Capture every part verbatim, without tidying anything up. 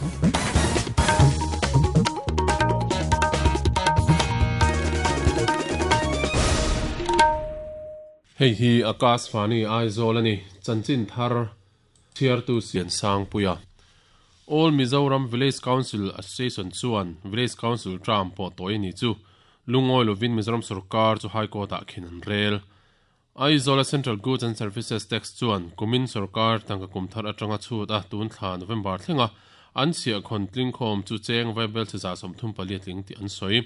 Hei hi Akash Fani Aizawl ani chanchin thar thiar tu sian sang puia All Mizoram Village Council Association chuan Village Council tram pawh tawih ni chu lungoi lovin Mizoram Sarkar chu High Court ah khin an rel Aizawl Central Goods and Services Tax chuan kumin sarkar tangka kumthar atanga chhut a tun thla November thlenga an chhia khon tlingkhom chu cheng vaibel che za som thum pali tling ti an soi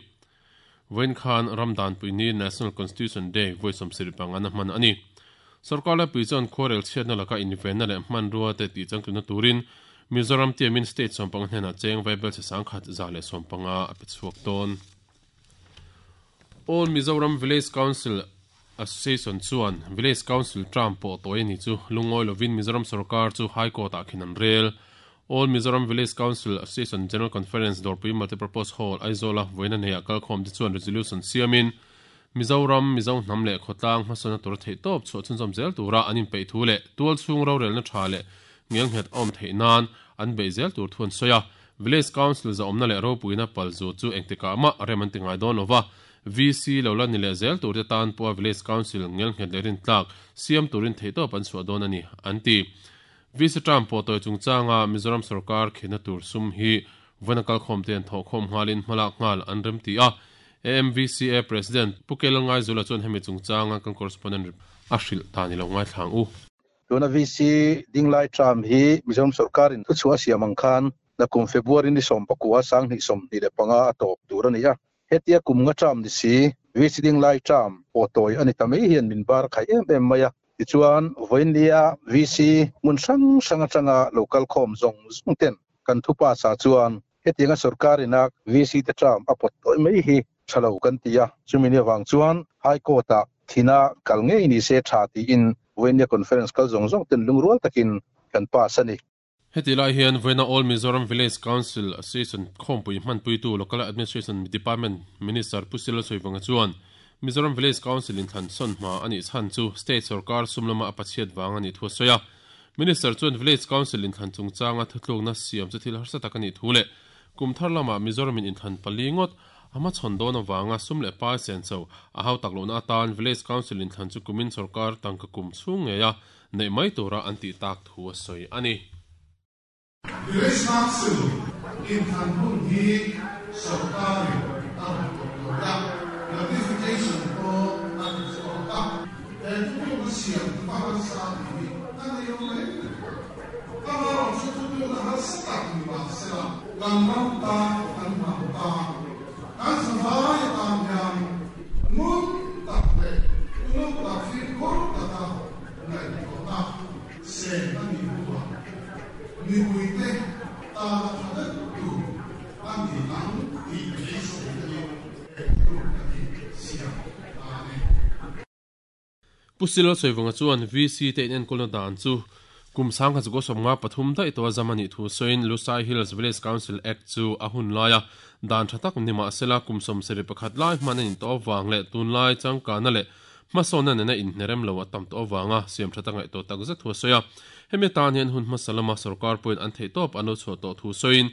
Wen Khan Ramdan Puini National Constitution Day voice om siripang an man ani sarkar la puichon khorel chhiatna laka inven na le man ruwa te ti changtuna turin Mizoram tiamin state sompang hnena cheng vaibel che sangkhat za le sompanga apichuak ton All Mizoram Village Council Association chuan Village Council tram pawh tawih ni chu lungoi lovin Mizoram Sarkar chu High Court ah khin an rel All Mizoram Village Council Association General Conference Dorpui Multipurpose Hall Aizawl voina nei akal khom te chuan resolution siamin Mizoram Mizo hnam le khotlang hmasana tur thei top chu chunzom zel tura anin pei thu le tual chung ro rel na tha le ngel nghet om thei nan an bei zel tur thun soya Village Council za omna le ro puina palzu chu engtika ma reman tingai don lova V C lola ni le zel tur te tan po Village Council ngel nghet le rin tlak siam turin thei top an chu don ani anti V C tram po toy chungchanga Mizoram Sarkar khina tur sum hi vanakal khom ten tho khom ngalin hmalak ngal an rem ti a A M V C A President Pukel ngai zula chon hemi chungchanga kan correspondent Ashil tani lo ngai thlang u tuna V C dinglai tram hi Mizoram Sarkar in chua siamang khan na kum February ni som pakua sang ni som ni le panga atop tur ani a hetia kum nga tram ni si V C dinglai tram po toy ani tamei hian min bar khai em em maya tichuan voinlia V C mun sang sang atanga local khom zong zong ten kan thupa sa chuan hetianga sarkar ina V C te tram apot toy mai hi thalo kan tia chumini wang chuan High Court a thina kalngei ni se tha ti in voinia conference kal zong zong ten lungrual takin kan pa sani heti lai hian voina All Mizoram Village Council Association khompui hmanpui tu Local Administration Department Minister Pusila Soivanga chuan Mizoram Village Council in than son ma ani chan chu state sarkar sumlama apachiat wang ani thu soya Minister chuan Village Council in than chungchanga thutluk na siam chu thil harsa takani thule kumthar lama Mizoram in than palingot ama chondon awanga sumle pa sen cho a hau taklona tan Village Council in than chu kumin sarkar tangka kum chunge ya nei mai tura anti tak thu soi ani Village Council in than hun hi sarkar ang ta notification ko at so ta and tu siam pa sa ni na ne yo le ta ro chu tu na ha sa ni ba se la kan ram ta kan ma ta kan sa vai ta nyam ngun ta le nu ta fi ko ta ta nai ko ta se na ni huwa ni hui te ta tha tu an ni ang ti ti se ni Pusilo Soivanga chuan V C te in enkolna dan chu kum sang kha chu som nga pathum dai to zamani thu soin Lusai Hills Village Council Act chu a hun laia dan thatak ni ma sela kum som seri pakhat lai manin to wang le tun lai changka na le masona na in nerem lo atam to wanga siam thatanga to tak za thu soya hemi tan hian hun masalama sarkar point an thei top ano chu to thu soin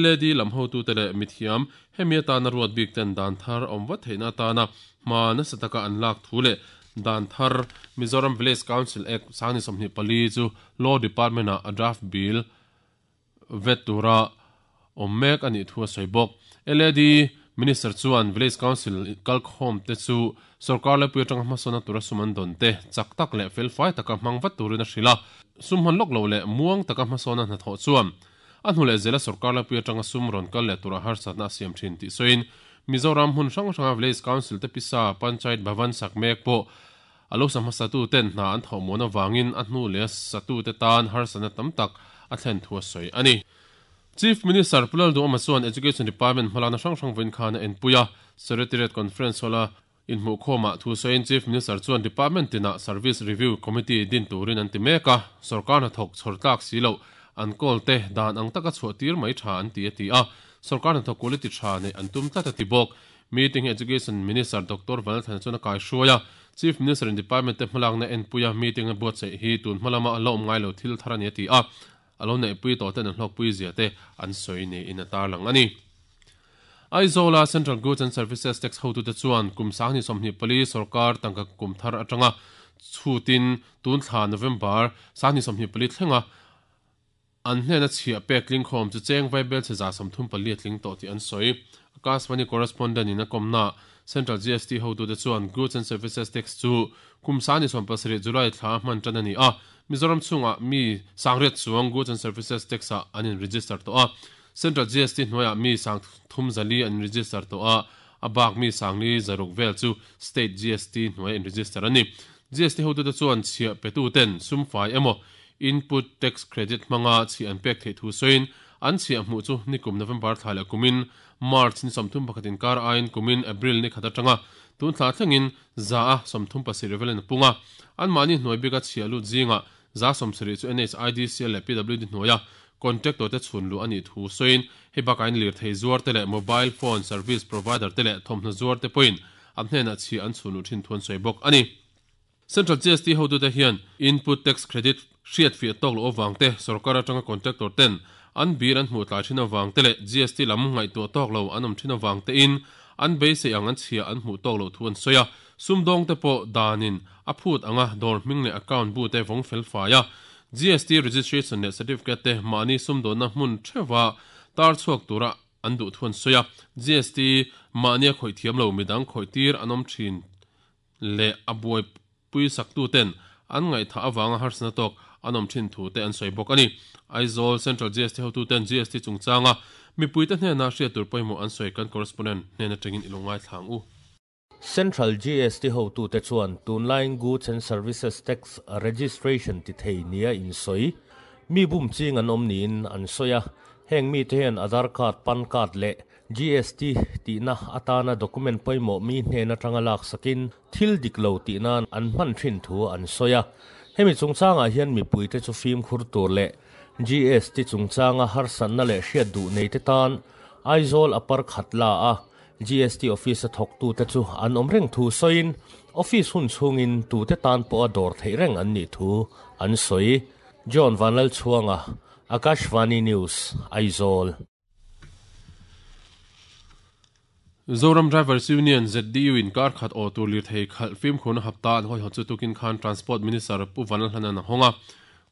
L A D lam ho tu tele mithiam hemi ta na ruat bik ten dan thar omwa theina ta na ma na sataka an lak thu le dan thar Mizoram Village Council Act sani somni pali chu Law Department a draft bill vetura omek ani thu soibok L A D Minister chuan Village Council kalkhom te chu sarkar le puitang hmasona tura suman don te chak tak le fel fai taka mangwat turina hrila sumhan lok lo le muang taka hmasona na tho chuan a hnule zela sarkar le puitang sumron kal le tura har satna siam thin ti soin Mizoram hun hrang hranga Village Council te pisa Panchayat Bhavan sakmek po alo sama satu ten na an thomona wangin a hnu le satu te tan har sana tam tak a thlen thua soi ani Chief Minister Pulal Du Amachuan Education Department hmalana hrang hrang vin khana en puya Secretariat Conference hola in hmu khoma thu soin Chief Minister chuan Department tina Service Review Committee din turin an ti meka sarkar na thok chhortlak silo an kol te dan ang taka chhuah tir mai tha an ti ati a sarkar na thok quality tha nei an tum tlat ati bawk Meeting Education Minister Doctor Vanalthana chuan a kai hruaia Chief Minister in Department te hmalak na en puya meeting a buatsaih hi tun hmalama a la awm ngai lo thil thar ani ati a alo nei pui to ten hlok pui zia te an soi ni in atar lang ani. Aizola Central Goods and Services Tax hotu te chuan kum sang ni somni pali sarkar tangka kum thar atanga chutin tun thla November sang ni somni pali thlenga an hnena chhia pek ling khom chu cheng vaibel che za samthum pali tling to ti an soi. Akashvani correspondent in a komna Central G S T hotu te chuan Goods and Services Tax chu kum sang ni som pasari July thla man tan ani a Mizoram chunga mi sangret chuang Goods and Services Tax a an in register to a Central G S T hnuaiah mi sang thum zali an register to a abak mi sangli zaruk vel chu state G S T hnuai in register ani. G S T hotu te chuan chhia petu ten sumfai emo input tax credit manga chi an pek thei thu soin an chhia hmu chu nikum November thla kumin March ni somthum pakhatin kar ain kumin April ni khata tanga tun thla thlengin za a somthum pasir velen punga an mani hnuai bika chhia lu zinga za somsri chu N H I D C L le P W D hnuaia contact te chhun lu ani thu soin he bakain lir thei zuar te le mobile phone service provider te le thomhna zuar te point an hnena chi an chhunu thin thun soi bok ani. Central G S T hotu te hian input tax credit hriat fi tok lo awang te sarkar atanga contractor ten an bir an hmu tlai thin awang te le G S T lam ngai tu tok lo anom thin awang te in an be se ang an chhia an hmu tok lo thuan soya sumdong te po danin a phut anga dor hming le account bu te vong fel faia G S T registration le certificate te mani sumdon na hmun thewa tar chuak tura an du thuan soya G S T mania khoi thiam lo midang khoi tir anom thin le abuai pui saktu ten an ngai tha awanga harsna tok anom thin thu te an soi bok ani. Aizawl Central G S T hotu ten G S T chungchanga mipui te hnena hriat tur pawimawh an soi kan correspondent hnena tangin ilongai thlang u. Central G S T hotu te chuan tunline Goods and Services Tax Registration ti thei nia in soi mi bum ching an om niin an soya heng mi te hian Aadhaar card PAN card le G S T ti na atana document pawimawh mi hnena tanga lak sakin thil diklo ti nan an hman thin thu an soya hemi chungchanga hian mipui te chu fim khur tur le G S T chungchanga harsan na le hriat du nei te tan Aizawl apar khatla a G S T office a thok tu te chu an om reng thu soin office hun chungin tu te tan po a dor thei reng an ni thu an soi. John Vanlal Chuanga, Akashvani News, Aizawl. Zoram Drivers Union Z D U in kar khat o tur lir thei khal film khun hapta an hoi hochu tukin khan Transport Minister Pu Vanlal Hlana honga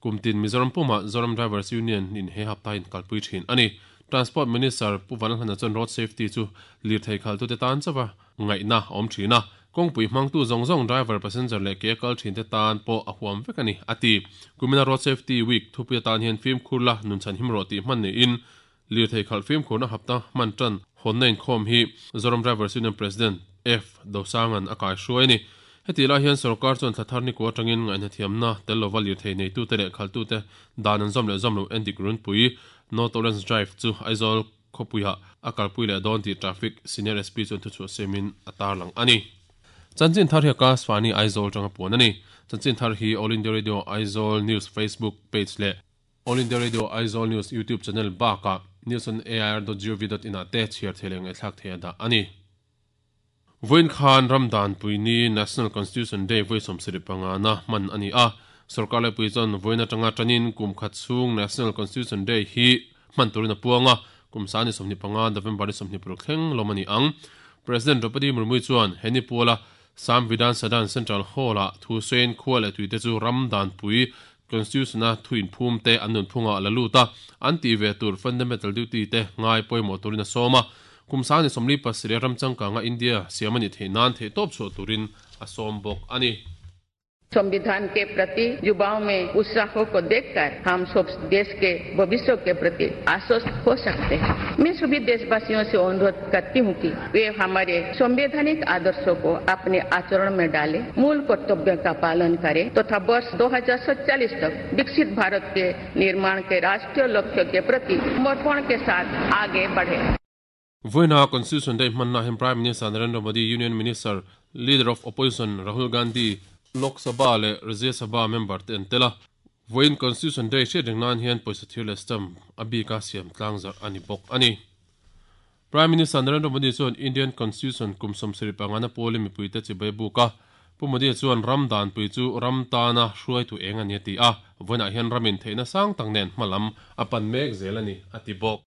kumtin Mizoram puma Zoram Drivers Union in he hapta in kalpui thin ani. Transport Minister Pu Vanlal Hlana chuan road safety chu lir thei khal tu te tan chawa ngai na om thina kongpui hmang tu zong zong driver passenger le ke kal thin te tan po a huam vek ani ati. Kumina road safety week thupia tan hian film khurla nun chan himro ti man ni in lir thei khal film khurna hapta man tan honnain khom hi Zoram Drivers Union President F Dosangan akai hruai ni. Heti la hian sarkar chuan thlathar ni ko atangin ngaihna thiamna tel lova lir thei nei tu te leh khal tu te dan an zom leh zom lo endik run pui no tolerance drive chu Aizawl khopuia akalpui leh dawn ti traffic senior S P chuan thu chu semin atar lang ani. Chanchin thar hi Akashvani Aizawl tanga puan ani. Chanchin thar hi All India Radio Aizawl News Facebook page le All India Radio Aizawl News YouTube channel baka news on A I R dot gov dot in te chhiar theleng e thlak thei da ani. Voin khan Ramdan puini National Constitution Day voi somsiri panga na man ani a sarkar le pui chon voina tanga tanin kum khat chung National Constitution Day hi man turina puanga kum sani somni panga November somni puruk thleng lomani ang. President Draupadi Murmu chuan heni puala Samvidhan Sadan Central Hall a thu sen khual tuite chu Ramdan pui Constitution a thuin phum te anun phunga la luta anti ve tur fundamental duty te ngai poimo turina soma kumsani somli pasire ramchangka nga India siamani theinan the top chu turin asom bok ani. संविधान के प्रति युवाओं में उत्साह को देखकर हम सब देश के भविष्य के प्रति आश्वस्त हो सकते हैं। मैं सभी देशवासियों से अनुरोध करती हूँ कि वे हमारे संवैधानिक आदर्शों को अपने आचरण में डालें, मूल कर्तव्य का पालन करें तथा वर्ष दो हजार सत्ताईस तक विकसित भारत के निर्माण के राष्ट्रीय लक्ष्य के प्रति समर्पण के साथ आगे बढ़े। Voina Constitution Day manna hem Prime Minister Narendra Modi, Union Minister, Leader of Opposition Rahul Gandhi, Lok Sabha le Rajya Sabha member te an tela. Voin Constitution Day hriat reng nan hian pawisa thir leh stamp a bika siam tlangzar ani bawk ani. Prime Minister Narendra Modi chuan Indian Constitution kum sawmsarih pangana pawli mipui te chibai buka. Pu Modi chuan ram dan pui chu ram tana hruai tu eng ani ti a. Voina hian ramin theina sang tak nen hmalam apan mek zelani ati bawk.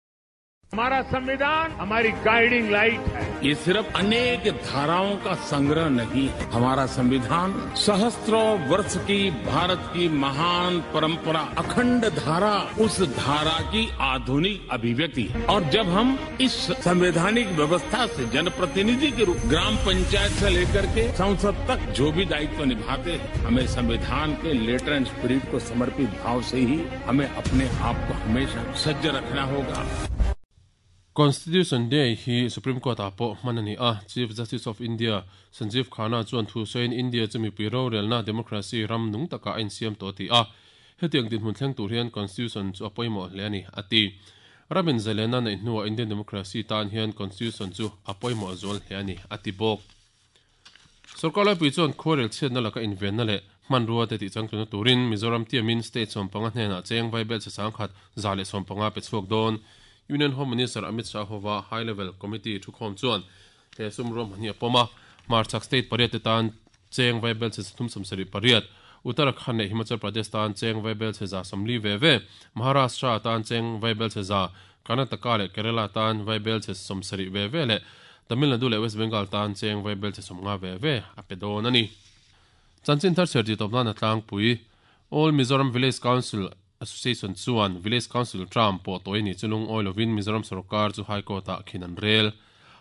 हमारा संविधान हमारी guiding light है। ये सिर्फ अनेक धाराओं का संग्रह नहीं है। हमारा संविधान सहस्त्रों वर्ष की भारत की महान परंपरा, अखंड धारा, उस धारा की आधुनिक अभिव्यक्ति है। और जब हम इस संवैधानिक व्यवस्था से जनप्रतिनिधि के रूप ग्राम पंचायत से लेकर के संसद तक जो भी दायित्व निभाते हैं, हमें संविधान के letter and spirit को समर्पित भाव से ही हमें अपने आप को हमेशा सज्ज रखना होगा। Constitution Day hi Supreme Court a po manani a Chief Justice of India Sanjeev Khanna chuan thu sawiin India chumi piro relna democracy ram nung taka a insiam to ti a hetiang din hmun thleng tur hian Constitution chu a pawimawh hle ani ati ramin zalena nei hnuah Indian democracy tan hian Constitution chu a pawimawh zual hle ani ati bawk. Sarkar laipui chuan khuarel chhiatna laka invenna leh hmanrua te tih changtluna turin Mizoram tiamin state sawmpanga hnenah cheng vaibel che sangkhat za leh sawmpanga pe chhuak dawn. Union Home Minister Amit Shah hova High Level Committee thukhawm chuan he sumrum hani apoma Marchak State pariat te tan cheng vaibel che thum sawmsarih pariat, Uttarakhand leh Himachal Pradesh tan cheng vaibel che za sawmli ve ve, Maharashtra tan cheng vaibel che za, Karnataka leh Kerala tan vaibel che sawmsarih ve ve leh Tamil Nadu leh West Bengal tan cheng vaibel che sawmnga ve ve a pe dawn ani. Chanchin thar serti tawpna na tlangpui All Mizoram Village Council Association chuan Village Council term pawh tawi ni chulung oilovin Mizoram Sarkar chu High Court ah khin an rel.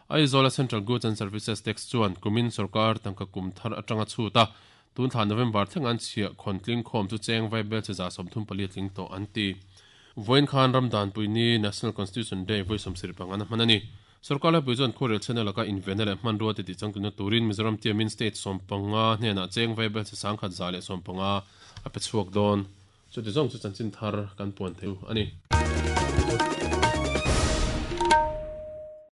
Aizawl Central Goods and Services Tax chuan kumin sarkar tangka kum thar atanga chuta tun thla November thleng an chhia khontling khawm chu cheng vaibel che za sawmthum pali tling tawh an ti. Voin khan ramdan puini National Constitution Day voi sawmsarih panga na hman ani. Sarkar laipui chuan khuarel chhena laka invenna leh hmanrua te tih changtluna turin Mizoram tiamin state sawmpanga hnenah cheng vaibel che sangkhat za leh sawmpanga a pe chhuak dawn. Chu ti zawng chu chanchin thar kan puan thei ani.